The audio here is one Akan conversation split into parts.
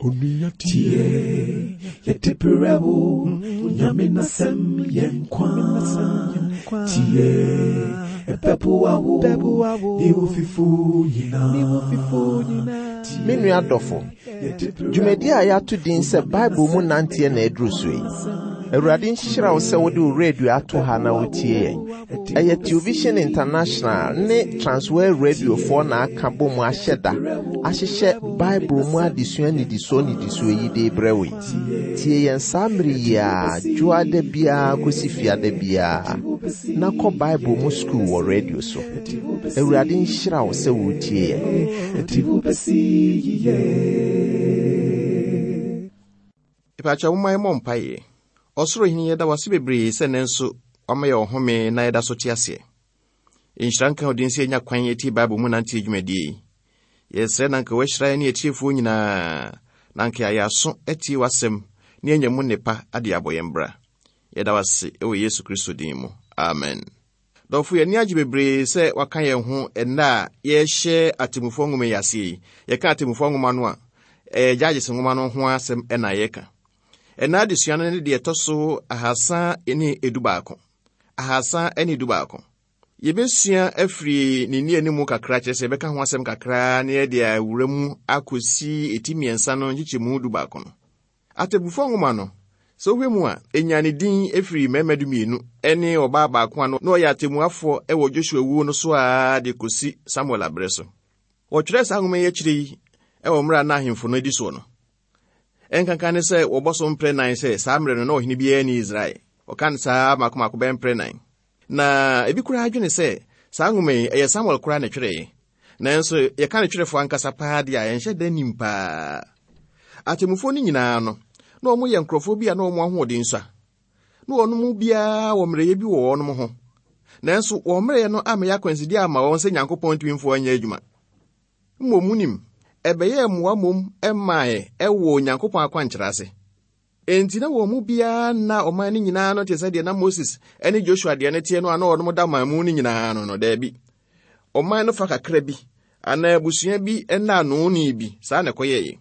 Tie, yɛde berɛ wo, Nyame n'asɛm yɛ nkwa. Tie, ɛbɛboa wo, ne wo fifo nyinaa. Me nua dɔfo, dwumadi a yɛato din sɛ Bible mu nanteɛ na aduru so yi. Awurade nhyira wo sɛ wode wo radio ato ha na wotie yɛn. Ɛyɛ Television International ne Transworld Radiofoɔ na aka bɔ mu ahyɛ da ahyehyɛ Bible mu adesua nnidisoɔ nnidisoɔ yi de rebrɛ wo yi. Tie yɛn saa mmere yi ara, dwoada biara kɔsi fiada biara, na kɔ Bible mu sukuu wɔ radio so. Awurade nhyira wo sɛ woretie yɛn. Mepakyɛw momma yɛmmɔ mpaeɛ. Ɔsoro Hene, yɛda wo ase bebree sɛ nnɛ nso woama yɛn ɔhome na yɛda so te aseɛ. Nhyira nka wo din sɛ yɛanya kwan atie Bible mu nanteɛ dwumadie yi. Yɛsrɛ na anka woahyira yɛn ne atiefoɔ nyinaa, na anka yɛayɛ aso atie w'asɛm na yɛanya mu nnepa de abɔ yɛn bra. Yɛda wo ase wɔ Yesu Kristo din mu. Amen. Dɔfo, yɛn ani agye bebree sɛ waka yɛn ho ɛnnɛ a yɛrehyɛ Atemmufoɔ nwoma yi aseɛ yi. Yɛka Atemmufoɔ nwoma no a, ɛyɛ Judges nwoma no ho asɛm na yɛreka. Ɛnnɛ adesua no ne deɛ ɛtɔ so ahasa ne edu baako. 311. Yɛbɛsua afiri ne nnianimu kakra, kyerɛ sɛ yɛbɛka ho asɛm kakra na yɛde awura mu akɔsi eti mmiɛnsa no nkyekyɛmu du baako no. Atɛbufo nwoma no, sɛ wohwɛ mu a, enyaa ne din firii mmarima dumienu ne ɔbaa baako a na ɔyɛ atemmuafoɔ wɔ Joshua wuo no so ara de kɔsi Samuel aberɛ so. Wɔtwerɛɛ saa nwoma yi akyire yi wɔ mmerɛ a na ahemfo no adi soɔ no. Ɛnkanka ne sɛ wɔbɔ so mprɛ nan sɛ saa mmerɛ no na ɔhene biara nni Israel. Wɔka no saa mmaako mmaako bɛyɛ mprɛ nan. Na ebi koraa dwene sɛ saa nwoma yi, ɛyɛ Samuel koraa na ɛtwerɛeɛ. Nanso yɛka ne twerɛfoɔ ankasa paa deɛ a, yɛnhyɛ da nnim paa. Atemmufoɔ no nyinaa no, na wɔyɛ nkurɔfoɔ bi a na wɔn ahoɔden sua. Na wɔn mu biara wɔ mmerɛyɛ bi wɔ wɔn ho. Nanso wɔn mmerɛyɛ no ammɛyɛ akwansideɛ amma wɔn sɛ Nyankopɔn ntumi mfa wɔn nyɛ adwuma. Mmom wonim, ɛbɛyɛɛ mmoa mmom mae wɔ Onyankopɔn akwankyerɛ ase. Enti na wɔn mu biara nna ɔman no nyinaa ano te sɛ deɛ na Moses ne Joshua deɛ no teɛ no a na wɔn da ɔman mu no nyinaa ano no. Daabi. Ɔman no fa kakra bi anaa abusua bi nna ano ni bi, saa na ɛkɔyɛeɛ.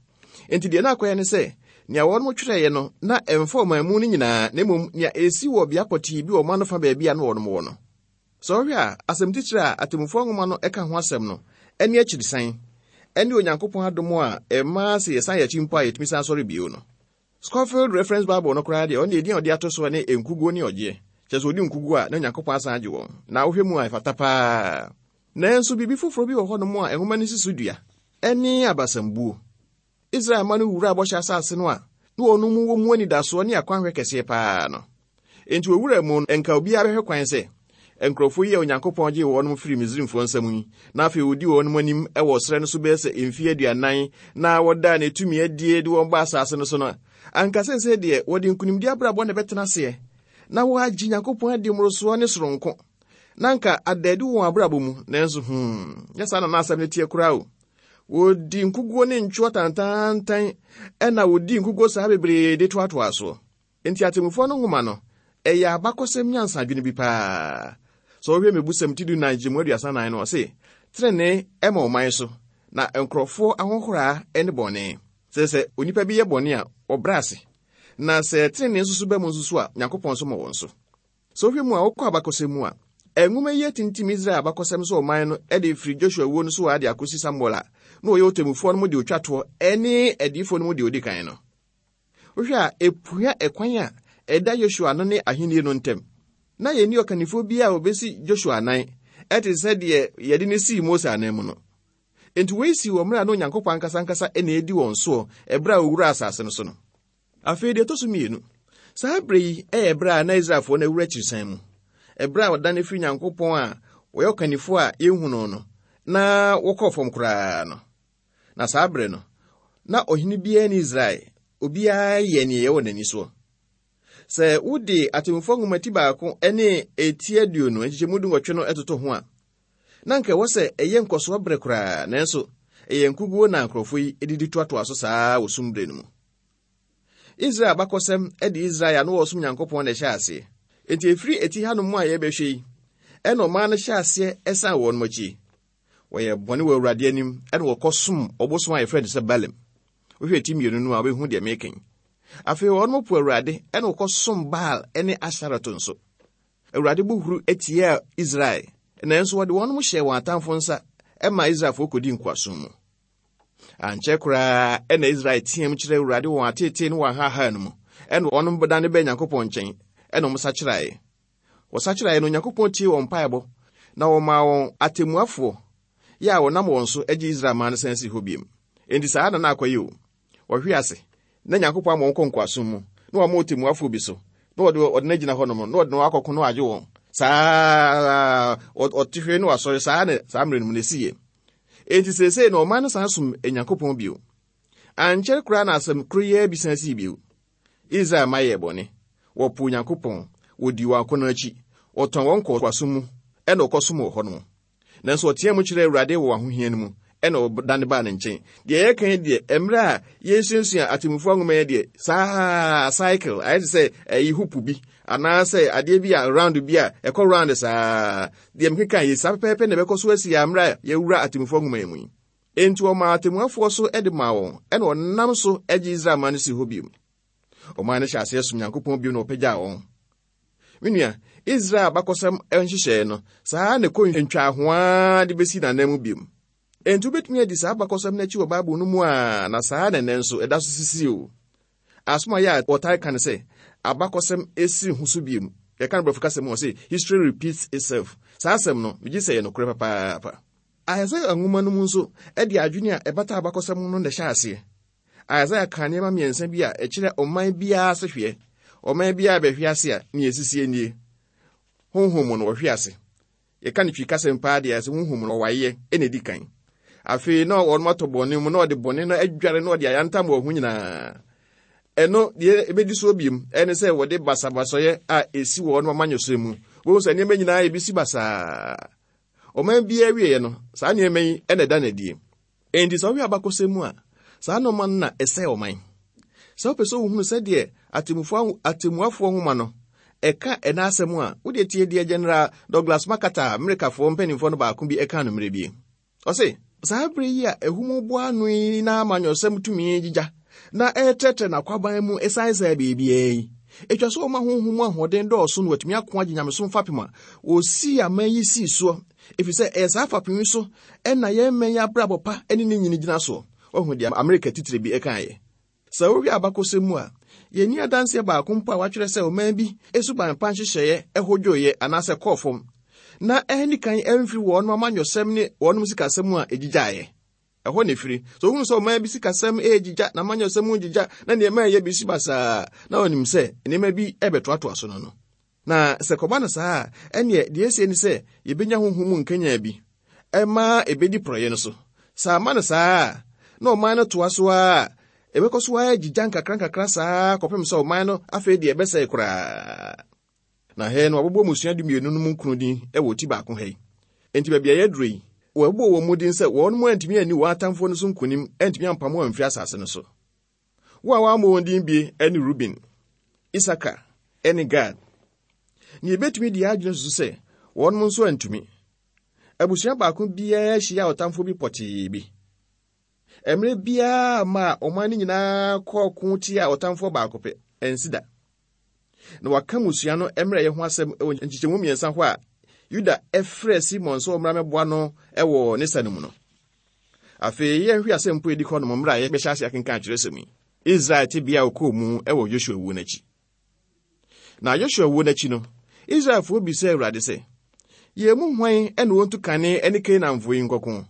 Enti deɛ na akɔyɛ ne sɛ, nea wɔn twerɛeɛ no, na ɛmfa ɔman mu no nyinaa, na mmom nea ɛsi wɔ bea pɔtee bi wɔ ɔman no fa baabi a na wɔn wɔ no. Sɛ wohwɛ a, asɛm titire a Atemmufoɔ nwoma no ka ho asɛm no ne akyirisan ne Onyankopɔn adom a ɛma sɛ yɛsan yɛn akyi mpo a yɛtumi san sɔre bio no. Scofield Reference Bible no koraa deɛ, ɔno deɛ edin a ɔde ato soɔ ne Nkuguo ne Ɔgyeɛ. Kyerɛ sɛ wɔdi nkuguo a, na Onyankopɔn asan agye wɔn. Na wohwɛ mu a, ɛfata paa. Nanso biribi foforɔ bi wɔ hɔnom a nwoma no si so dua, ɛne abasambuo. Israel mma no wuraa Bɔhyɛ Asase no a na wɔn mu wɔ mu anidasoɔ ne akwanhwɛ kɛseɛ paa no. Enti wɔwuraa mu no, nka obiara bɛhwɛ kwan sɛ nkurɔfoɔ yi a Onyankopɔn gyee wɔn firii Misraimfoɔ nsam yi, na afei ɔdi wɔn anim wɔ serɛ no so bɛyɛ sɛ mfeɛ aduanan na wɔdaa ne tumi adie de wɔn baa asase no so no, anka seesei deɛ wɔde nkonimdie abrabɔ na ɛbɛtena aseɛ na wɔagye Nyankopɔn adi mmorosoɔ ne soronko, na anka ada adi wɔ wɔn abrabɔ mu. Nanso, hmm, nyɛ saa na na asɛm no teɛ koraa o. Wɔdi nkuguo ne ntwoɔ tantaantan ɛna wɔdi nkuguo saa bebree de toatoa soɔ. Enti atemmufoɔ no nwoma no, ɛyɛ abakɔsɛm nyansadwene bi paa. Sɛ wohwɛ Mmebusɛm ti dunan nkyɛmu 34 no, ɔse, Tenenee ma ɔman so, na nkurɔfoɔ ahohoraa ne bɔne. Sɛ sɛ onipa bi yɛ bɔne a, ɔbrɛ ase, na sɛ tenenee nso so ba mu nso so a, Nyankopɔn nso ma wɔn so. Sɛ wohwɛ mu a, wokɔ abakɔsɛm mu a, nwoma yi atintim Israel abakɔsɛm sɛ ɔman no de firi Joshua wuo no so ara de akɔsi Samuel a na ɔyɛ ɔtemmufoɔ no mu deɛ ɔtwa toɔ ne adiyifoɔ no mu deɛ ɔdi kan no. Wohwɛ a, ɛpua ɛkwan a ɛda Joshua no ne ahennie no ntam. Na yɛnni ɔkannifoɔ biara a ɔbɛsi Joshua anan te sɛ deɛ yɛde no sii Mose anan mu no. Enti wei sii wɔ mmerɛ a na Onyankopɔn ankasa ankasa na ɛredi wɔn soɔ ɛberɛ a wɔwuraa asase no so no. Afei deɛ ɛtɔ so mmienu, saa berɛ yi yɛ berɛ a na Israelfoɔ no awura akyirisan mu, ɛberɛ a wɔdane firi Nyankopɔn a wɔyɛ ɔkannifoɔ a yɛnhu no no, na wɔkɔɔ fam koraa no. Na saa berɛ no, na ɔhene biara ni Israel, obiara yɛ neɛ ɛyɛ wɔ n'ani soɔ. Sɛ wode Atemmufoɔ nwoma ti baako ne eti aduonu nkyekyɛmu dunwɔtwe no toto ho a, Na anka ɛwɔ sɛ ɛyɛ nkɔsoɔ berɛ koraa, nanso ɛyɛ nkuguo na nkurɔfoɔ yi didi toatoa so saa wɔ sum berɛ no mu. Israel abakɔsɛm de Israel a na wɔresom Nyankopɔn na ɛhyɛ aseɛ. Enti ɛfiri eti hanom a yɛbɛhwɛ yi, ɛna ɔman no hyɛ aseɛ ɛsan wɔn akyi. Wɔyɛ bɔne wɔ Awurade anim ɛna wɔkɔsom ɔbosom a yɛfrɛ no sɛ Baalim. Wohwɛ ti mmienu no a, wobɛhu deɛ mereka yi. Afei wɔnom po Awurade ɛna wɔkɔsom Baal ne Astarot nso. Awurade bo huru tiaa Israel, nanso wɔde wɔnom hyɛɛ wɔn atamfo nsa ma Israelfoɔ kɔdi nkoasom mu. Ankyɛ koraa ɛna Israel team kyerɛ Awurade wɔn ateetee ne wɔn ahaahaa no mu, ɛna wɔnom dane bɛɛ Nyankopɔn nkyɛn, ɛna wɔn sakyeraeɛ. Wɔsakyeraeɛ no, Onyankopɔn tiee wɔn mpaebɔ, na wɔmaa wɔn atemmuafoɔ yɛ a wɔnam wɔn so gye Israel man no san sii hɔ biom. Enti saa na na akɔyɛ o. Wɔhwe ase, na Nyankopɔn ama wɔn kɔ nkoasom mu, na wɔama ɔtemmuafoɔ bi so, na wɔde ɔde no agyina hɔnom, na wɔde no akɔko na wɔagye wɔn. Saa ɔte hwee na wasɔre, saa na saa mmerɛ no mu na ɛsiiɛ. Enti seesei na ɔman no san som Nyankopɔn bio. Ankyɛre koraa na asɛm koro yi ara bi san sii bio. Israel mma yɛɛ bɔne. Wɔpoo Nyankopɔn, wɔdii wɔn akɔnnɔ akyi, wɔtɔn wɔn kɔɔ nkoasom mu, ɛna wɔkɔsom wɔ hɔnom. Nanso ɔteɛɛ mu kyerɛɛ Awurade wɔ ahohia no mu, ɛna ɔdane baa ne nkyɛn. Deɛ yɛreka yi deɛ, mmerɛ a yɛresuasua atemmufoɔ nwoma yi deɛ, saa cycle, ayɛ te sɛ ɛyi hoop bi, anaasɛ adeɛ bi a round bi a ɛkɔ round saa. Deɛ mekeka yi, saa pɛpɛɛpɛ na ɛbɛkɔ so asi a mmerɛ a yɛwura atemmufoɔ nwoma yi mu yi. Enti ɔmaa atemmuafoɔ so de maa wɔn, ɛna ɔnam so gye Israel man no sii hɔ bio. Ɔman no hyɛ aseɛ som Nyankopɔn bio na ɔpagyaa wɔn. Me nua, Israel abakɔsɛm nhyehyɛe no, saa ara na ɛkɔ ntwahoaa de besi n'anan mu bio. Enti wobetumi adi saa abakɔsɛm no akyi wɔ Bible no mu a, na saa ara na ɛnnɛ nso ɛda so sisi o. Asɛm a ɛyɛ a wɔtaa ka ne sɛ, abakɔsɛm si ho so bio. Yɛka no Borɔfo kasa mu a, wɔse history repeats itself. Saa asɛm no, migye sɛ ɛyɛ nokorɛ papaapa. Isaiah nwoma no mu nso de adwene a ɛbata abakɔsɛm ho no na ɛhyɛ aseɛ. Isaiah kaa nneɛma mmiɛnsa bi a ɛkyerɛ ɔman biara asehweɛ. Ɔman biara bɛhwe ase a, nea ɛsisie nie. Honhom mu no, wɔhwe ase. Yɛka no Twi kasɛm paa deɛ, sɛ honhom mu no, ɔwaeɛ na ɛdi kan. Afei na wɔn atɔ bɔne mu, na ɔde bɔne no adware na ɔde ayantam wɔn ho nyinaa. Ɛno deɛ ɛbɛdi soɔ biom ɛne sɛ wɔde basabasɔeɛ a ɛsi wɔn amanyɔsɛm mu. Wɔhu sɛ nneɛma nyinaa ɛbɛsi basaa. Ɔman biara awieeɛ no, saa nneɛma yi na ɛda no adie. Enti sɛ wohwɛ abakɔsɛm mu a, saa nneɛma no na ɛsɛe ɔman. Sɛ wopɛ sɛ wohunu sɛdeɛ atemmuafoɔ nwoma no ɛka ɛna asɛm a, wodeɛ tie deɛ General Douglas MacArthur a Amerikafoɔ mpanimfoɔ no baako bi ɛkaa no mmerɛ bi. Ɔse, saa berɛ yi a ahum bɔ ano yi na amanyɔsɛm tumi gyigya na ɛretrɛtrɛ n'akwaban mu ɛsaesae baabiara yi, ɛtwa sɛ ɔma honhom mu ahoɔden dɔɔso na watumi ako agye nyamesom fapem a wɔsii aman yi sii soɔ, ɛfiri sɛ ɛyɛ saa fapem yi so na yɛn mmɛn yi abrabɔ pa ne ne nyini gyina soɔ. Wahu deɛ Amerika titire bi kaeɛ? Sɛ wohwɛ abakɔsɛm mu a, yɛnni adanseɛ baako mpo a wɔatwerɛ sɛ ɔman bi suban pa nhyehyɛeɛ hodwoeɛ anaasɛ kɔɔ fam, na anni kan amfiri wɔn amanyɔsɛm ne wɔn sikasɛm mu a ɛgyigyaeɛ. Ɛhɔ na ɛfiri. Sɛ wohunu sɛ ɔman bi sikasɛm regyigya, n'amanyɔsɛm mu gyigya, na nneɛma a ɛyɛ bi si basaa, na wɔnim sɛ nneɛma bi rebɛtoatoa so no no. Na sɛ kɔba no saa a, ɛnneɛ deɛ ɛsie ne sɛ yɛbɛnya honhom mu nkanyan bi ɛma ɛbɛdi porɔeɛ no so. Sɛ amma no saa a, na ɔman no toa so ara a, ɛbɛkɔ so ara agyigya nkakrankakra saa kɔpem sɛ ɔman no afei deɛ ɛbɛsɛe koraa. Na ha yi no, wɔabobɔ mmusua dumienu no mu nkron din wɔ ti baako ha yi. Enti baabi a yɛaduru yi, wɔabobɔ wɔn mu din sɛ wɔn antumi anni wɔn atamfoɔ no so nkonim, antumi ampamo wɔn amfiri asase no so. Wo a wɔammɔ wɔn din bi ne Ruben, Isakar, ne Gad. Na yebetumi de yɛn adwene susu sɛ wɔn nso antumi. Abusua baako biara hyia ɔtamfo bi pɔtee bi. Mmerɛ biara ma ɔman no nyinaa kɔɔ ko tia ɔtamfoɔ baako pɛ, ansi da. Na wɔaka mmusua no mmerɛyɛ ho asɛm wɔ nkyekyɛmu mmiɛnsa hɔ a Yuda frɛɛ Simon sɛ ɔmmra mmɛboa no wɔ ne sa no mu no. Afei yɛnhwɛ asɛm po edi hɔ nom mmerɛ a yɛbɛhyɛ ase akenkan kyerɛsɛm yi. Israel tebea a ɔkɔɔ mu wɔ Yosua wuo no akyi. Na Yosua wuo no akyi no, Israelfoɔ bisaa Awurade sɛ, Yɛn mu hwan na ɔntu kane ne Kanaanfoɔ yi nkɔko?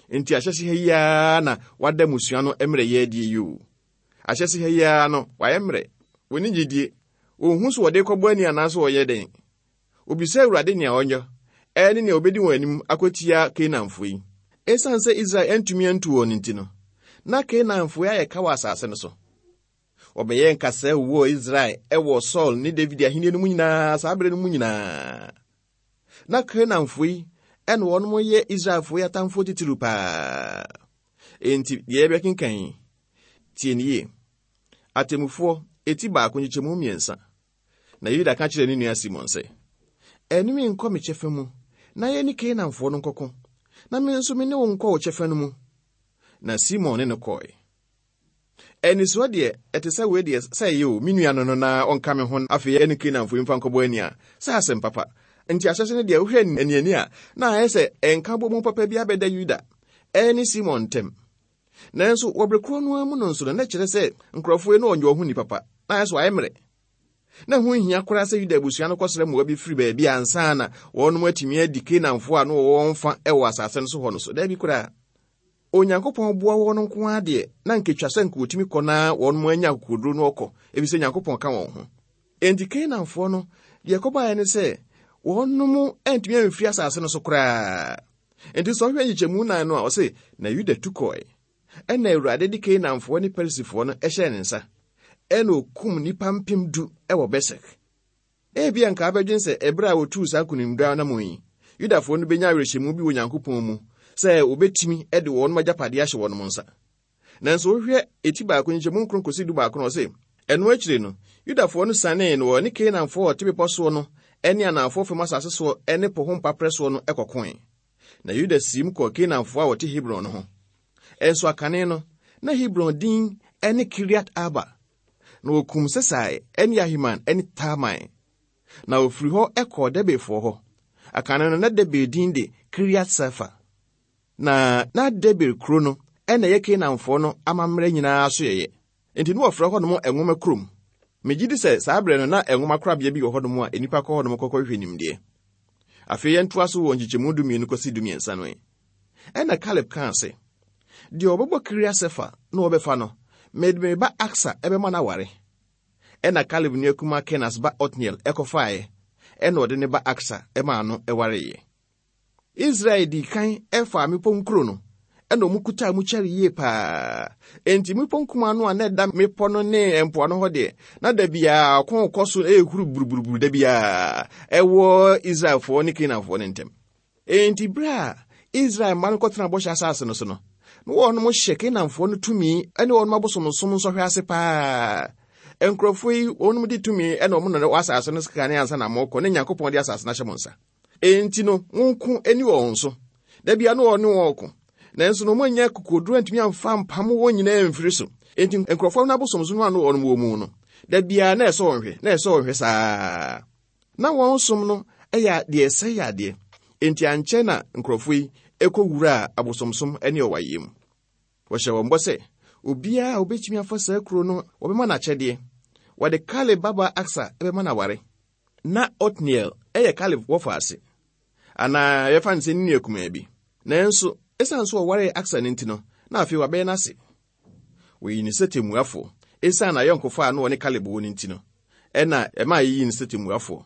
Enti ahyɛse ha yi ara na wada mmusua no mmerɛyɛ adie yi o. Ahyɛse ha yi ara no, wayɛ mmerɛ. Wɔnni gyidie. Wɔnhu so wɔde rekɔbɔ ani anaasɛ wɔyɛ dɛn. Wɔbisa Awurade nea ɔnyɛ ɛne nea ɔbɛdi wɔn anim akɔtia Kanaanfoɔ yi. Esiane sɛ Israel antumi antu wɔn nti no, na Kanaanfoɔ yi ayɛ ka wɔ asase no so. Wɔbɛyɛɛ nkasɛɛ wowɔɔ Israel wɔ Saul ne David ahenni no mu nyinaa saa berɛ no mu nyinaa. Na Kanaanfoɔ yi ɛna wɔn yɛ Israelfoɔ yi atamfoɔ titiriw paa. Enti deɛ yɛbɛkenkan yi, tie no yie. Atemmufoɔ, eti baako nkyekyɛmu mmiɛnsa. Na Yuda ka kyerɛɛ ne nua Simon sɛ, Ɛne me nkɔ me kyɛfa mu, na yɛne Kanaanfoɔ no nkɔko, na me nso me ne wo nkɔ wo kyɛfa no mu. Na Simon ne no kɔe. Anisoɔ deɛ, ɛte sɛ wei deɛ, sɛ ɛyɛ o, me nua no no na ɔnka me ho afei ɛne Kanaanfoɔ yi mfa nkɔbɔ ani a, sɛ asɛm papa. Nti ahyɛse no deɛ, wohwɛ aniani a, na ayɛ sɛ nkabɔmu papa bi abɛda Yuda ne Simon ntam. Nanso wɔ bere korɔ no ara mu no nso no, na ɛkyerɛ sɛ nkurɔfoɔ yi na wɔnyɛ wɔn ho nnipa pa, na ayɛ sɛ wɔayɛ mmerɛ. Na ɛho nhia koraa sɛ Yuda abusua no kɔsrɛ mmoa bi firi baabi ansa na wɔnom atumi adi Kanaanfoɔ a na wɔwɔ wɔn fa wɔ asase no so hɔ no so. Daabi koraa. Onyankopɔn boa wɔn nko ara deɛ, na anka etwa sɛ anka wɔtumi kɔ na wɔn anya akokoduro no ɔkɔ, efisɛ Nyankopɔn ka wɔn ho. Enti Kanaanfoɔ no, deɛ ɛkɔbaeɛ ne sɛ, wɔnom antumi amfiri asase no so koraa. Enti sɛ ɔhwɛ nkyekyɛmu nan no a, ɔse, Na Yuda tu kɔe. Ɛna Awurade de Kanaanfoɔ ne Perisifoɔ no hyɛɛ ne nsa. Ɛna ɔkum nnipa 10,000 wɔ Besek. Ebia anka wobɛdwen sɛ bere a wotuu saa nkonimdi anammɔn yi, Yudafoɔ no benya awerɛhyɛmu bi wɔ Onyankopɔn mu sɛ wobetumi de wɔn agyapade ahyɛ wɔn nsa. Nanso wohwɛ eti baako nkyɛmu nkron kosi dubaako no, ɔse, Ɛno akyiri no, Yudafoɔ no sianee na wɔne Kanaanfoɔ a wɔte bepɔ soɔ no ne anafoɔ fam asase soɔ ne po ho mpaperɛ soɔ no kɔkoe. Na Yuda siim kɔɔ Kanaanfoɔ a wɔte Hebron no ho. Nso akane no, na Hebron din ne Kiriat-Arba. Na wɔkum Sesai ne Ahiman ne Talmai. Na wɔfiri hɔ kɔɔ Debirfoɔ hɔ. Akane no, na Debir din de Kiriat-Sefer. Na na Debir kuro no na ɛyɛ Kanaanfoɔ no amammerɛ nyinaa asoɛeɛ. Enti na wɔfrɛ hɔnom Nwoma Kurom. Megye di sɛ saa berɛ no na nwoma korabea bi wɔ hɔnom a nnipa kɔ hɔnom kɔkɔhwehwɛ nimdeɛ. Afei yɛntoa so wɔ nkyekyɛmu dumienu kɔsi dumiɛnsa no ɛ. Ɛnna Kaleb kaa sɛ, Deɛ ɔbɛbɔ Kiriat-Sefer na ɔbɛfa no, mede me ba Aksa bɛma no aware. Ɛnna Kaleb nua kumaa Kenas ba Otniel kɔfaeɛ, ɛnna ɔde ne ba Aksa maa no wareeɛ. Israel dii kan faa mmepɔ nkuro no, ɛnna wɔkutaa mu kyɛre yie paa. Enti mmepɔ nkumaa no a na ɛda mmepɔ no ne mpoano hɔ deɛ, na da biara ɔko rekɔ so ɛrehuru buruburuburu da biara ɛwɔ Israelfoɔ ne Kanaanfoɔ no ntam. Enti bere a Israel mma no kɔtenaa Bɔhyɛ Asase no so no, na wɔnom hyɛ Kanaanfoɔ no tumi ne wɔnom abosomsom nsɔhwɛ ase paa. Nkurɔfoɔ yi, wɔnom di tumi na wɔn na wɔ asase no so kane ansa na mokɔ, ne Nyankopɔn de asase no ahyɛ mo nsa. Enti no, monko ani wɔn so. Da bia no wɔne wɔn ko. Nanso no wɔanya akokoduru antumi amfa ampam wɔn nyinaa amfiri so. Enti nkurɔfoɔ no abosomsom a na wɔnom wɔ mu no, da biara na ɛsɔ wɔn hwɛ, na ɛsɔ wɔn hwɛ saa. Na wɔn som no yɛ deɛ ɛsɛe adeɛ, enti ankyɛ na nkurɔfoɔ yi kɔwuraa abosomsom ne ɔwaeɛ mu. Wɔhyɛɛ wɔn bɔ sɛ, obiara a ɔbɛtumi afa saa kuro no, wɔbɛma no akyɛdeɛ. Wɔde Kaleb babaa Aksa bɛma no aware. Ná Otniel yɛ Kaleb wɔfaase, anaa yɛbɛfa no sɛ ne nua kumaa bi. Nanso, ɛsiane sɛ ɔwaree Aksa no nti no, na afei wabɛyɛ n'ase. Wɔyii no sɛ tɛmmuafoɔ. Esiane n'ayɔnkofa a na ɔne Kaleb wɔ no nti no, ɛna ɛmaa yeyii no sɛ tɛmmuafoɔ.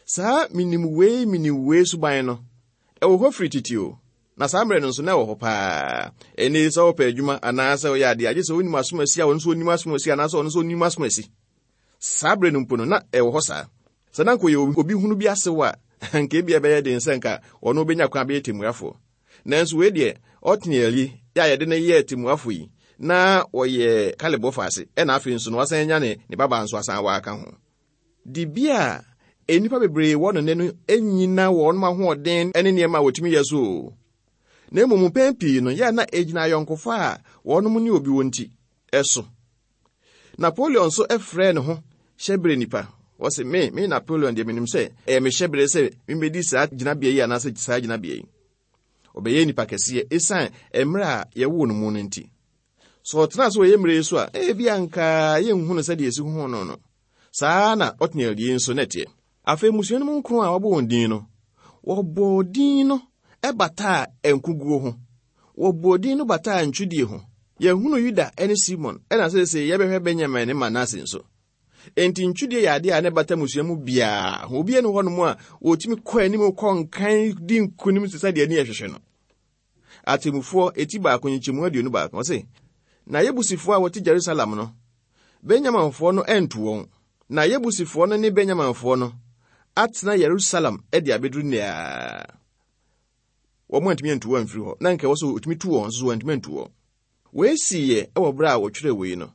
Saa menim wei menim wei suban no, ɛwɔ hɔ firi tete o, na saa mmerɛ no nso na ɛwɔ hɔ paa. Ɛnnɛ yi sɛ wopɛ adwuma anaasɛ woyɛ adeɛ a, gye sɛ wonim asomasi a ɔno nso ɔnim asomasi anaasɛ ɔno nso ɔnim asomasi. Saa berɛ no mpo no, na ɛwɔ hɔ saa. Sɛ na anka ɔyɛ obi hunu bi asew a, anka ebia ɛbɛyɛ den sɛ anka ɔno bɛnya kwan abɛyɛ tɛmmuafoɔ. Nanso wei deɛ, Otniel yi a yɛde no yɛɛ tɛmmuafoɔ yi, na ɔyɛ Kaleb wɔfaase, ɛna afei nso no wasan anya ne ne babaa nso asan aware aka ho. Dibea a nnipa bebree wɔ no nnɛ no nnyina wɔn ahoɔden ne nneɛma a wɔtumi yɛ so o, na mmom mpɛn pii no, yɛ a na egyina ayɔnkofa a wɔnom ne obi wɔ nti so. Napoleon nso frɛɛ ne ho hyɛberɛ nipa. Ɔse, Me, me Napoleon deɛ menim sɛ ɛyɛ me hyɛberɛ sɛ memmɛdi saa gyinabea yi anaasɛ saa gyinabea yi. Ɔbɛyɛɛ nipa kɛseɛ ɛsiane mmerɛ a yɛwoo no mu no nti. Sɛ ɔtenaa ase wɔ yɛn mmerɛ yi so a, ebia anka yɛnhu no sɛdeɛ yɛsi hu no no. Saa ara na Otniel yi nso na ɛteɛ. Afei mmusua no mu nkron a wɔabɔ wɔn din no, wɔbɔɔ din no bataa nkoguo ho. Wɔbɔɔ din no bataa ntwidie ho. Yɛhunu Yuda ne Simon, ɛna seesei yɛbɛhwɛ Benyamin ne Manase nso. Enti ntwidie yɛ adeɛ a na ɛbata mmusua mu biara ho. Obiara nni hɔnom a ɔtumi kɔ anim kɔ nkan di nkonim te sɛ deɛ ani ɛhwehwɛ no. Atemmufoɔ eti baako nkyekyɛmu 21, ɔse, Na Yebusifoɔ a wɔte Jerusalem no, Benyaminfoɔ no antu wɔn. Na Yebusifoɔ no ne Benyaminfoɔ no atena Yerusalem de abɛduru nnɛ ara. Wɔn antumi antu wɔn amfiri hɔ. Na nka ɛwɔ sɛ wɔtumi tu wɔn nso so wɔantumi antu wɔn. Wei siiɛ wɔ berɛ a wɔtwerɛɛ wei no.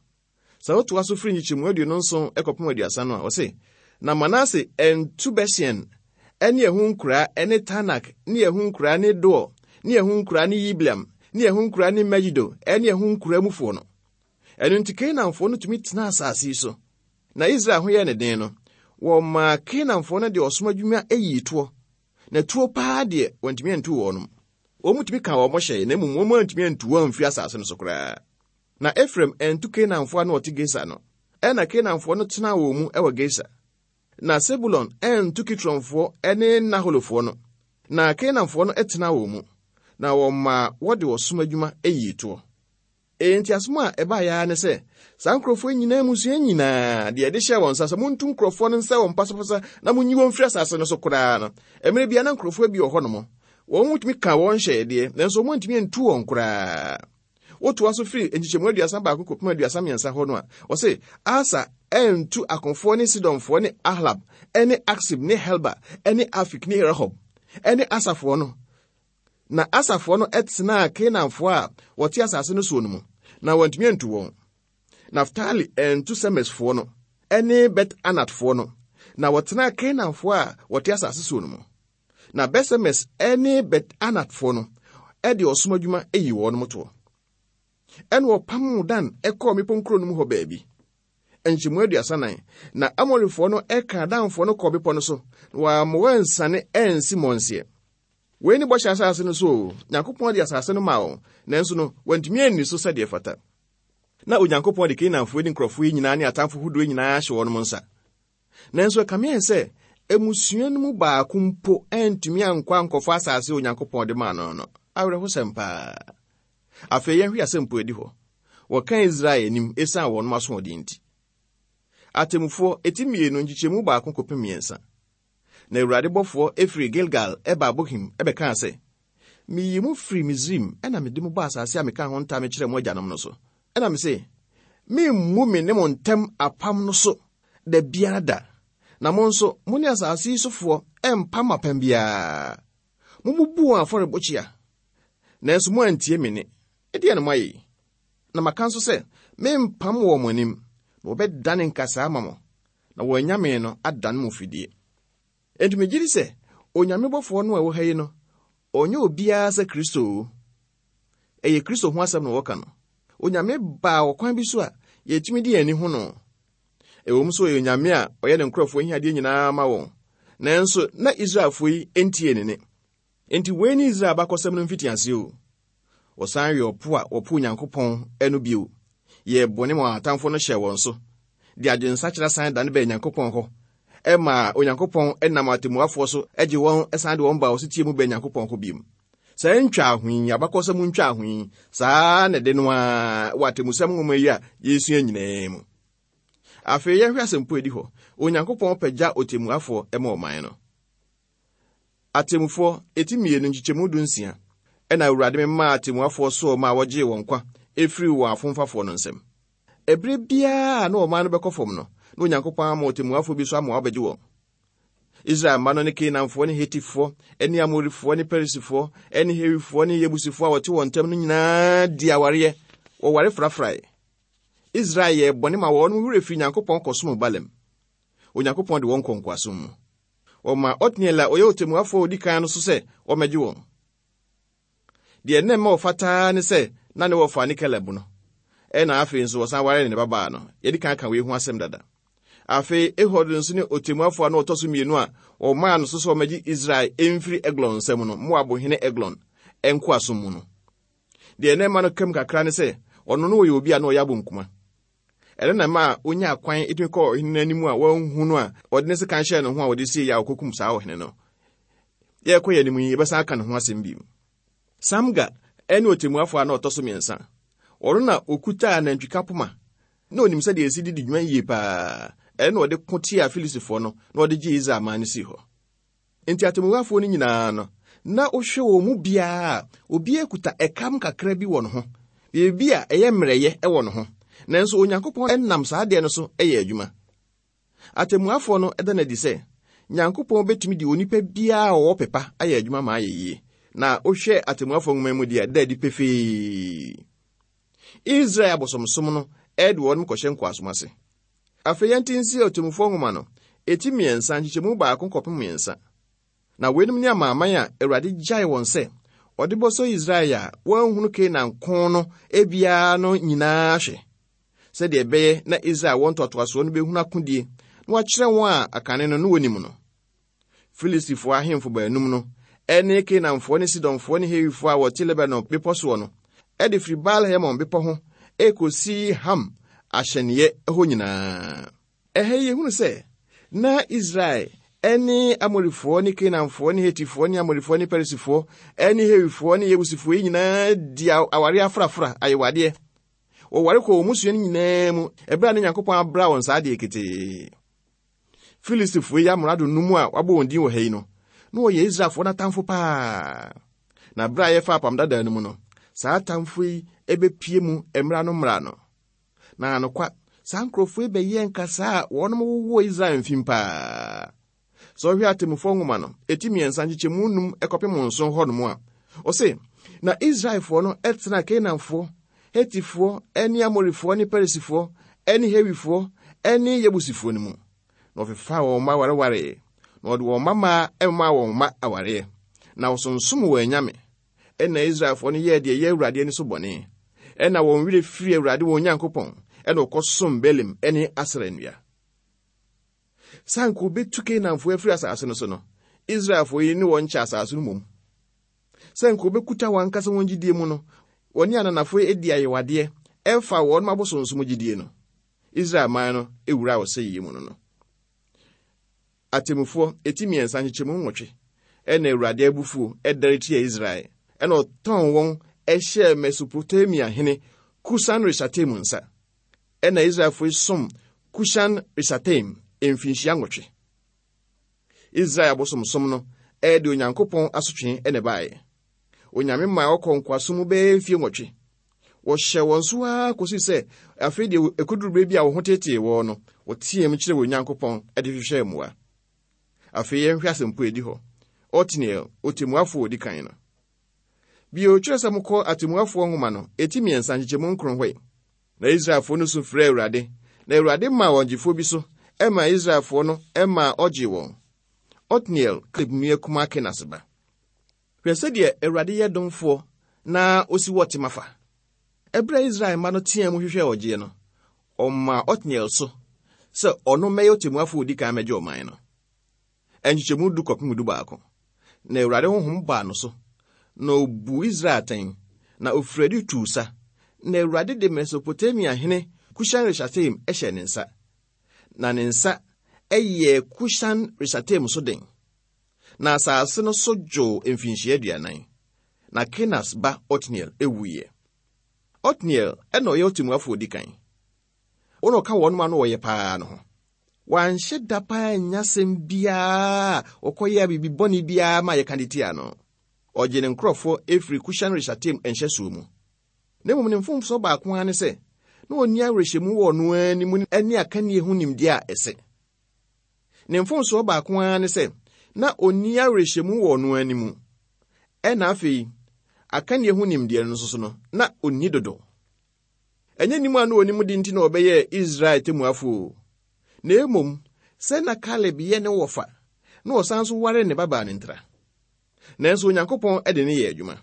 Sɛ wotoa so firi nkyekyɛmu 27 kɔpem 30 no a, ɔse, Na Manase antu Betsean ne ɛho nkuraa ne Taanak ne ɛho nkuraa ne Dor ne ɛho nkuraa ne Yibleam ne ɛho nkuraa ne Megido ne ɛho nkuraa mufoɔ no. Ɛno nti Kanaanfoɔ no tumi tenaa asase yi so. Na Israel ho yɛɛ ne den no, wɔmaa Kanaanfoɔ no de ɔsom adwuma yii toɔ. Na tuo paa deɛ, wɔantumi antu wɔnom. Wɔn tumi kaa wɔn hyɛe, na mmom wɔn antumi antu wɔn amfiri asase no so koraa. Na Efraim antu Kanaanfoɔ a na wɔte Geser no. Ɛnna Kanaanfoɔ no tenaa wɔn mu wɔ Geser. Na Sebulon antu Kitronfoɔ ne Naholofoɔ no. Na Kanaanfoɔ no tenaa wɔn mu, na wɔmaa wɔde ɔsom adwuma yii toɔ. Enti asɛm a ɛbaeɛ ara ne sɛ, saa nkurɔfoɔ nyinaa mmusua nyinaa, deɛ yɛde hyɛɛ wɔn nsa sɛ montu nkurɔfoɔ no nsa wɔn pasapasa na monyi wɔn mfiri asase no so koraa no, mmerɛ biara na nkurɔfoɔ bi wɔ hɔnom. Wɔn tumi ka wɔn hyɛɛ deɛ, nanso wɔn antumi antu wɔn koraa. Wotoa so firi nkyekyɛmu 31 kɔpem 33 hɔ no a, wɔse Asa antu akofoɔ ne Sidonfoɔ ne Ahlab ne Aksib ne Helba ne Afik ne Rehob ne Asafoɔ no. Na Asafoɔ no tenaa Kanaanfoɔ a wɔte asase no soɔ no mu, na wɔantumi antu wɔn. Naftali antu Semesfoɔ no ne Bet-Anatfoɔ no, na wɔtenaa Kanaanfoɔ a wɔte asase soɔ no mu. Na Bet-Semes ne Bet-Anatfoɔ no de ɔsom adwuma yii wɔn toɔ. Ɛna wɔpamoo Dan kɔɔ mmepɔ nkuro no mu hɔ baabi. Nkyɛmu 34. Na Amorifoɔ no kaa Danfoɔ no kɔɔ bepɔ no so, na wɔamma wɔansiane ansi mmɔnseɛ. Wei ne bɔhyɛ asase no so o. Nyankopɔn de asase no maa wɔn, nanso no, wɔantumi anni so sɛdeɛ ɛfata. Na Onyankopɔn de Kanaanfoɔ ne nkurɔfoɔ yi nyinaa ne atamfo hodoɔ nyinaa ahyɛ wɔn nsa. Nanso ɛkame ayɛ sɛ mmusua no mu baako mpo antumi ankɔ ankɔfa asase a Onyankopɔn de maa no no. Awerɛhosɛm paa. Afei yɛnhwɛ asɛmpo adi hɔ. Wɔka Israel anim esiane wɔn asoɔden nti. Atemmufoɔ, eti mmienu, nkyekyɛmu baako kɔpem mmiɛnsa. Na Awurade bɔfoɔ firii Gilgal baa Bokim bɛkaa sɛ, Meyii mo firii Misraim na mede mo baa asase a mekaa ho ntam kyerɛɛ mo agyanom no so. Ɛnna mese, Meremmu me ne mo ntam apam no so da biara da, na mo nso mo ne asase yi sofoɔ mmpam apam biara. Mommubu wɔn afɔrebukyia, nanso moantie me nne. Ɛdeɛn na moayɛ yi? Na maka nso sɛ, Merempam wɔn mo anim, na wɔbɛdane nkasɛɛ ama mo, na wɔn anyame no adane mo fidie. Enti megye di sɛ Onyame bɔfoɔ no a ɛwɔ ha yi no, ɔnyɛ obiara sɛ Kristo o. Ɛyɛ Kristo ho asɛm na wɔka no. Onyame baa ɔkwan bi so a yɛtumi de yɛn ani hu no. Ɛwom sɛ ɔyɛ Onyame a ɔyɛ ne nkurɔfoɔ ahiadeɛ nyinaa ma wɔn, nanso na Israelfoɔ yi ntie ne nne. Enti wei ne Israel abakɔsɛm no mfitiaseɛ o. Wɔsan wee ɔpo a wɔpoo Onyankopɔn no bio, yɛɛ bɔne ma wɔn atamfo no hyɛɛ wɔn so, de adwensakyera san dane baa Nyankopɔn hɔ, ɛmaa Onyankopɔn nam atemmuafoɔ so gye wɔn san de wɔn baa ɔsetie mu baa Nyankopɔn hɔ bio. Saa ntwaaho yi, abakɔsɛm ntwaaho yi, saa na ɛde no ara wɔ atemmusɛm nwoma yi a yɛresua nyinaa mu. Afei yɛnhwɛ asɛmpo edi hɔ. Onyankopɔn pagya ɔtemmuafoɔ ma ɔman no. Atemmufoɔ, eti mmienu, nkyekyɛmu 16, Ɛnna Awurade memaa atemmuafoɔ soɔ maa wɔgyee wɔn nkwa firii wɔn afomfafoɔ no nsam. Ɛberɛ biara a na ɔman no bɛkɔ fam no, na Onyankopɔn ama ɔtemmuafoɔ bi so ama wabɛgye wɔn. Israel mma no ne Kanaanfoɔ ne Hetifoɔ ne Amorifoɔ ne Perisifoɔ ne Hewifoɔ ne Yebusifoɔ a wɔte wɔn ntam no nyinaa dii awareɛ, wɔware frafrae. Israel yɛɛ bɔne ma wɔn werɛ firii Nyankopɔn kɔsom Baalim. Onyankopɔn de wɔn kɔɔ nkoasom mu. Wɔmaa Otniel a ɔyɛ ɔtɛmmuafoɔ a ɔdi kan no so sɛ ɔmmɛgye wɔn. Deɛ na ɛma ɔfata ara ne sɛ na ne wɔfa ne Kaleb no. Ɛna afei nso wɔsan waree ne babaa no. Yɛadi kan aka wei ho asɛm dada. Afei Ehud nso ne ɔtɛmmuafoɔ a na ɔtɔ so mmienu a wɔmaa no so sɛ ɔmmɛgye Israel mfiri Eglon nsam no, Moab hene Eglon nkoasom mu no. Deɛ na ɛma no kam kakra ne sɛ ɔno no ɔyɛ obi a na ɔyɛ abonkuma. Ɛno na ɛmaa onyaa kwan tumi kɔɔ ɔhene no anim a wanhu no a ɔde ne sekan hyɛɛ ne ho a ɔde siei a ɔkɔkum saa ɔhene no. Yɛrekɔ yɛn anim yi, yɛbɛsan aka ne ho asɛm bio. Samga ne ɔtɛmmuafoɔ a na ɔtɔ so mmiɛnsa. Ɔno na ɔkutaa nantwika poma na ɔnim sɛdeɛ ɛsi de di dwuma yie paa. Ɛno na ɔde ko tiaa Filistifoɔ no na ɔde gyee Israel man no sii hɔ. Enti atemmuafoɔ no nyinaa no, na wohwɛ wɔn mu biara a, obiara kuta ɛkam kakra bi wɔ ne ho, biribi a ɛyɛ mmerɛyɛ wɔ ne ho. Nanso Onyankopɔn nam saa adeɛ no so yɛ adwuma. Atemmuafoɔ no da no adi sɛ, Nyankopɔn bɛtumi de onipa biara a ɔwɔ pɛ pa ayɛ adwuma ma ayɛ yie. Na wohwɛ Atemmuafoɔ nwoma mu deɛ, ɛda adi pefee. Israel abosomsom no de wɔn kɔhyɛ nkoasom ase. Afei yɛnte nsi Ɔtemmufoɔ nwoma no, eti mmiɛnsa, nkyekyɛmu baako kɔpem mmiɛnsa. Na weinom ne amanaman a Awurade gyae wɔn sɛ ɔde bɔsɔ Israel a wɔanhunu Kanaan ko no biara no nyinaa hwɛ. sɛdeɛ ɛbɛyɛ na Israel wɔn ntoatoasoɔ no bɛhunu akodie na wakyerɛ wɔn a akane no na wɔnim no. Filistifoɔ ahemfo baanum no ne Kanaanfoɔ ne Sidonfoɔ ne Hewifoɔ a wɔte Lebanon bepɔ soɔ no de firi Baal-Hermon bepɔ ho rekɔsi Ham ahyɛneeɛ hɔ nyinaa. Ɛha yi yɛhunu sɛ na Israel ne Amorifoɔ ne Kanaanfoɔ ne Hetifoɔ ne Amorifoɔ ne Perisifoɔ ne Hewifoɔ ne Yebusifoɔ yi nyinaa di awareɛ afrafra ayewadeɛ. Wɔware kɔ wɔn mmusua no nyinaa mu ɛberɛ a na Nyankopɔn abra wɔn saa adeɛ ketee. Filistifoɔ yi amrado no mu a wɔabɔ wɔn din wɔ ha yi no, na wɔyɛ Israelfoɔ no atamfo paa. Na berɛ a yɛfa apam dadaa no mu no, saa atamfo yi bɛpie mu mmra no mmra no. Na anokwa, saa nkurɔfoɔ yi bɛyɛɛ nkasaa a wɔnom wowɔ Israel mfim paa. Sɛ ɔhwɛ Atemmufoɔ nwoma no, ɛti mmiɛnsa nkyekyɛmu num kɔpem nson hɔnom a, ɔse, Na Israelfoɔ no tenaa Kanaanfoɔ, Hetifoɔ ne Amorifoɔ ne Perisifoɔ ne Hewifoɔ ne Yebusifoɔ no mu. Na wɔfefaa wɔn mma warewaree, na wɔde wɔn mma mmaa maa wɔn mma awareɛ, na wɔsonsom wɔn anyame. Ɛnna Israelfoɔ no yɛɛ deɛ ɛyɛ Awurade ani so bɔne. Ɛnna wɔn werɛ firii Awurade wɔn Nyankopɔn, ɛnna wɔkɔsom Baalim ne Asera nnua. Sɛ anka wɔbɛtu Kanaanfoɔ afiri asase no so no, Israelfoɔ yi ne wɔn kyɛ asase no mmom. Sɛ anka wɔbɛkuta wɔn ankasa wɔn gyidie mu no, wɔne ananafoɔ adi ayewadeɛ ɛfa wɔn abosonsom gyidie no. Israel man no wuraa ɔsɛeɛ mu no no. Atemmufoɔ, eti mmiɛnsa nkyekyɛmu nwɔtwe, Ɛnna Awurade abufuo dɛre tiaa Israel, ɛnna ɔtɔn wɔn hyɛɛ Mesopotamia hene Kusan-Risataim nsa. Ɛnna Israelfoɔ yi som Kusan-Risataim mfinhyia nwɔtwe. Israel abosomsom no de Onyankopɔn asotwe na ɛbaeɛ. Onyame maa wɔkɔɔ nkoasom mu bɛyɛ mfie nwɔtwe. Wɔhyɛɛ wɔn so ara kɔsii sɛ afei deɛ ɛkɔduru berɛ bi a wɔn ho teetee wɔn no, wɔteaam kyerɛɛ wɔn Nyankopɔn de hwehwɛɛ mmoa. Afei yɛnhwɛ asɛmpo a ɛdi hɔ, Otniel, ɔtemmuafoɔ a ɔdi kan no. Bio, twerɛ sɛ mokɔ Atemmuafoɔ nwoma no, ɛti mmiɛnsa nkyekyɛmu nkron hɔ yi. Na Israelfoɔ no su frɛɛ Awurade, na Awurade maa wɔn gyefoɔ bi so maa Israelfoɔ no maa ɔgyee wɔn. Otniel, Kaleb nua kumaa Kenas ba. Hwɛ sɛdeɛ Awurade yɛ domfoɔ na ɔsi wɔ tema fa! Ɛberɛ a Israel mma no teaa mu hwehwɛɛ ɔgyeɛ no, ɔmaa Otniel so sɛ ɔno mmɛyɛ ɔtemmuafoɔ a ɔdi kan mmɛgye ɔman no. Nkyekyɛmu du kɔpem dubaako. Na Awurade honhom baa no so, na ɔbuu Israel atɛn, na ɔfirii adi tuu sa, na Awurade de Mesopotamia hene Kusan-Risataim hyɛɛ ne nsa. Na ne nsa yɛɛ Kusan-Risataim so den. Na asase no so dwoo mfinhyia aduanan. Na Kenas ba Otniel wuiɛ. Otniel na ɔyɛ ɔtemmuafoɔ ɔdi kan. Wɔn a ɔka wɔn ano wɔyɛ paa no ho. Wanhyɛ da paa annya asɛm biara a ɔkɔyɛɛ biribi bɔne biara ma yɛka de tia no. Ɔgyee ne nkurɔfoɔ firii Kusan-Risataim nhyɛsoɔ mu. Na mmom ne mfomsoɔ baako ara ne sɛ, na ɔnni awerɛhyɛmu wɔ ɔno ara ne mu ne akannie ho nimdeɛ a ɛsɛ. Ne mfomsoɔ baako ara ne sɛ, na ɔnni awerɛhyɛmu wɔ ɔno ara ne mu. Ɛna afei, akannie ho nimdeɛ no nso so no, na ɔnni dodo. Ɛnyɛ nim a na ɔnim de nti na ɔbɛyɛɛ Israel temmuafoɔ o. Na mmom, sɛ na Kaleb yɛ ne wɔfa, na ɔsan nso waree ne babaa no ntira. Nanso Onyankopɔn de no yɛɛ adwuma.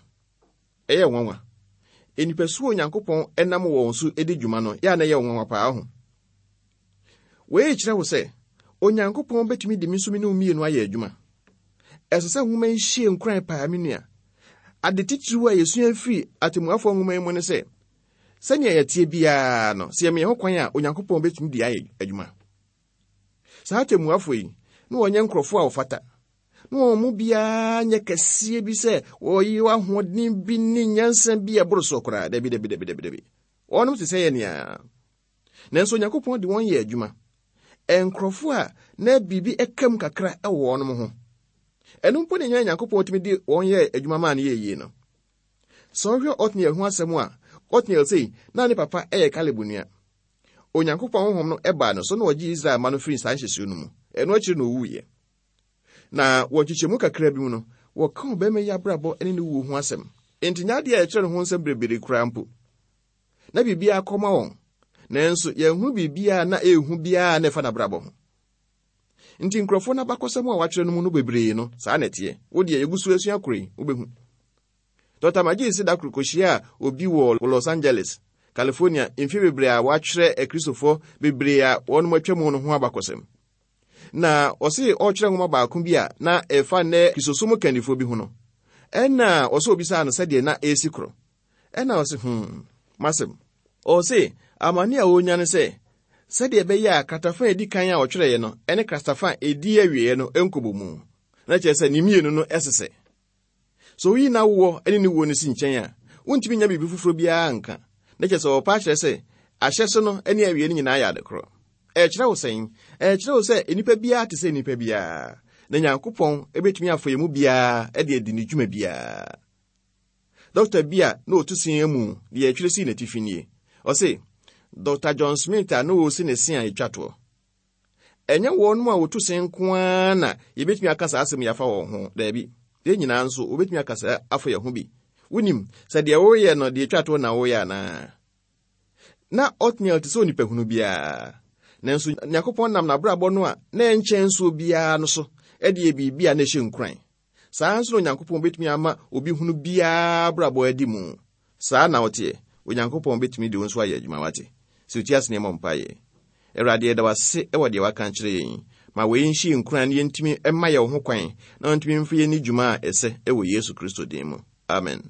Ɛyɛ nwanwa. Nnipasu a Onyankopɔn nam wɔn so di dwuma no, yɛ a na ɛyɛ nwanwa paa ho. Wei kyerɛ wo sɛ, Onyankopɔn bɛtumi de me nso me ne wo mmienu ayɛ adwuma. Ɛsɛ sɛ nwoma yi hyɛ nkuran paa, me nua. Ade titiriw a yɛsua firi Atemmuafoɔ nwoma yi mu ne sɛ, sɛnea yɛteɛ biara no, sɛ yɛma yɛn ho kwan a, Onyankopɔn bɛtumi de ayɛ adwuma. Saa atemmuafoɔ yi, na wɔnyɛ nkurɔfoɔ a wɔfata. Na wɔn mu biara nyɛ kɛseɛ bi sɛ wɔyɛ ahoɔden bi ne nyansa bi a ɛboro soɔ koraa. Dabi, dabi, dabi, dabi, dabi. Wɔnom te sɛ yɛn nea. Nanso Onyankopɔn de wɔn yɛ adwuma. Nkurɔfoɔ a na biribi ka mu kakra wɔ wɔn ho. Ɛno mpo na ɛnya Onyankopɔn tumi de wɔn yɛ adwuma maa no yɛ yie no. Sɛ wohwɛ Otniel ho asɛm a, Otniel sei, na ne papa yɛ Kaleb nua. Onyankopɔn honhom no baa no so na ɔgyee Israel mma no firii saa nhyɛsoɔ no mu. Ɛno akyiri na ɔwuiɛ. Na wɔ nkyekyɛmu kakra bi mu no, wɔka ɔbarima yi abrabɔ ne ne wuo ho asɛm. Enti nyɛ adeɛ a yɛkyerɛ ne ho nsɛm berebere koraa mpo. Na biribiara kɔ ma wɔn, nanso yɛnhunu biribiara na ɛrehu biara na ɛfa n'abrabɔ ho. Nti nkurɔfoɔ no abakɔsɛm a wɔatwerɛ no mu no bebree no, saa na ɛteɛ. Wo deɛ, yɛgu so asua koro yi, wobɛhu. Dɔkta Magee se da koro kɔhyiaa obi wɔ Los Angeles. California mfe bebree a wɔatwerɛ Akristofoɔ bebree a wɔnom atwa mu no ho abakɔsɛm. Na ɔse ɔretwerɛ nwoma baako bi a na ɛfa nnɛ Kristosom kandifoɔ bi ho no, ɛna ɔsɛ obisaa no sɛdeɛ na ɛresi korɔ. Ɛna ɔse, hmm, m'asɛm. Ɔse amane a ɔrenya ne sɛ, sɛdeɛ ɛbɛyɛ a kratafa a ɛdi kan a ɔtwerɛeɛ no ne kratafa a ɛdi awieeɛ no nkɔbɔ mu. Na kyerɛ sɛ ne mmienu no ɛsesɛ. Sɛ woyi n'awoɔ ne ne wuo no si nkyɛn a, wontumi nya biribi foforɔ biara nka. Na kyerɛ sɛ ɔrepa akyerɛ sɛ ahyɛse no ne awiei no nyinaa yɛ ade korɔ. Ɛrekyerɛ wo sɛn? Ɛrekyerɛ wo sɛ nnipa biara te sɛ nnipa biara, na Nyankopɔn bɛtumi afa yɛn mu biara de adi ne dwuma biara. Dɔkta bi a na ɔtu se amu deɛ ɛtwerɛ sii n'atifi nie. Ɔse, Dɔkta John Smith a na ɔresi ne se a ɛtwa toɔ. Ɛnyɛ wɔnom a wɔtu se nko ara na yɛbɛtumi aka saa asɛm yi afa wɔn ho. Daabi. Yɛn nyinaa nso, wɔbɛtumi aka saa afa yɛn ho bi. Wonim, sɛ deɛ woreyɛ no deɛ ɛtwa toɔ na woreyɛ anaa? Na Otniel te sɛ onipahunu biara. Nanso Nyankopɔn nam n'abrabɔ no a na ɛnkyɛn nsoɔ biara no so de yɛ biribi a na ɛhyɛ nkuran. Saa ara nso na Onyankopɔn betumi ama obi hunu biara abrabɔ adi mu. Saa na woteɛ? Onyankopɔn betumi de wo nso ayɛ adwuma, wate? Sɛ wotie ase na yɛmmɔ mpaeɛ. Awurade, yɛda wo ase wɔ deɛ woaka akyerɛ yɛn yi. Ma wei nhyɛ yɛn nkuran na yɛntumi mma yɛn ho kwan na wɔntumi mfa yɛn nni dwuma a ɛsɛ wɔ Yesu Kristo din mu. Amen.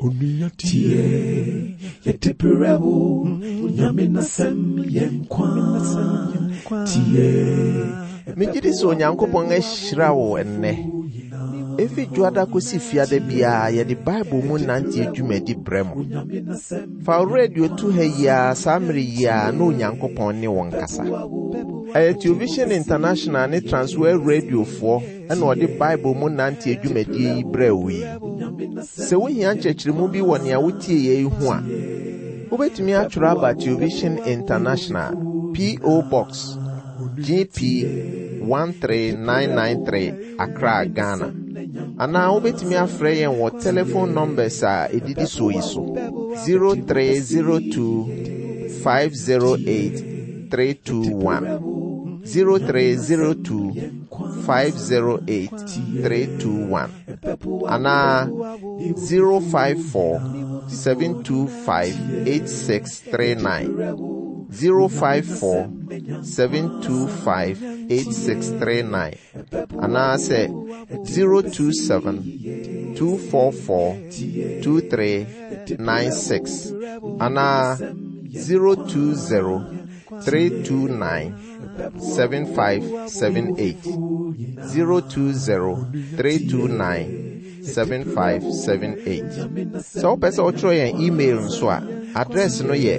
Onua tie, yɛde brɛ wo, Onyame n'asɛm yɛ nkwa. Tie. Megye di sɛ Onyankopɔn ahyira wo ɛnnɛ. Efi dwoada kosi fiada biara yɛde Bible mu nante dwumadi brɛ mo. Fa wo radio to ha yi ara saa mmere yi ara na Onyankopɔn ne wo nkasa. Ɛyɛ Television International ne Transworld Radiofoɔ na ɔde Bible mu nante dwumadie yi brɛɛ wo yi. Sɛ wohia nkyerɛkyerɛmu bi wɔ nea wotieeɛ yi ho a, wobɛtumi atwerɛ aba Television International, P.O. Box, GP 13993, Accra, Ghana. Anaa wobɛtumi afrɛ yɛn wɔ telephone numbers a ɛdidi soɔ yi so 0302 508 321 0302 508 321 anaa 054 725 8639 054 725 8639 anaasɛ 027 244 2396 anaa 020 329 7578 020 329 7578. Sɛ wopɛ sɛ wotwerɛ yɛn email nso a, address no yɛ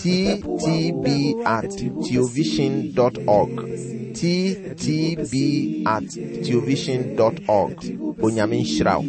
ttb at theovision dot org. ttb at theovision dot org. Onyame nhyira wo.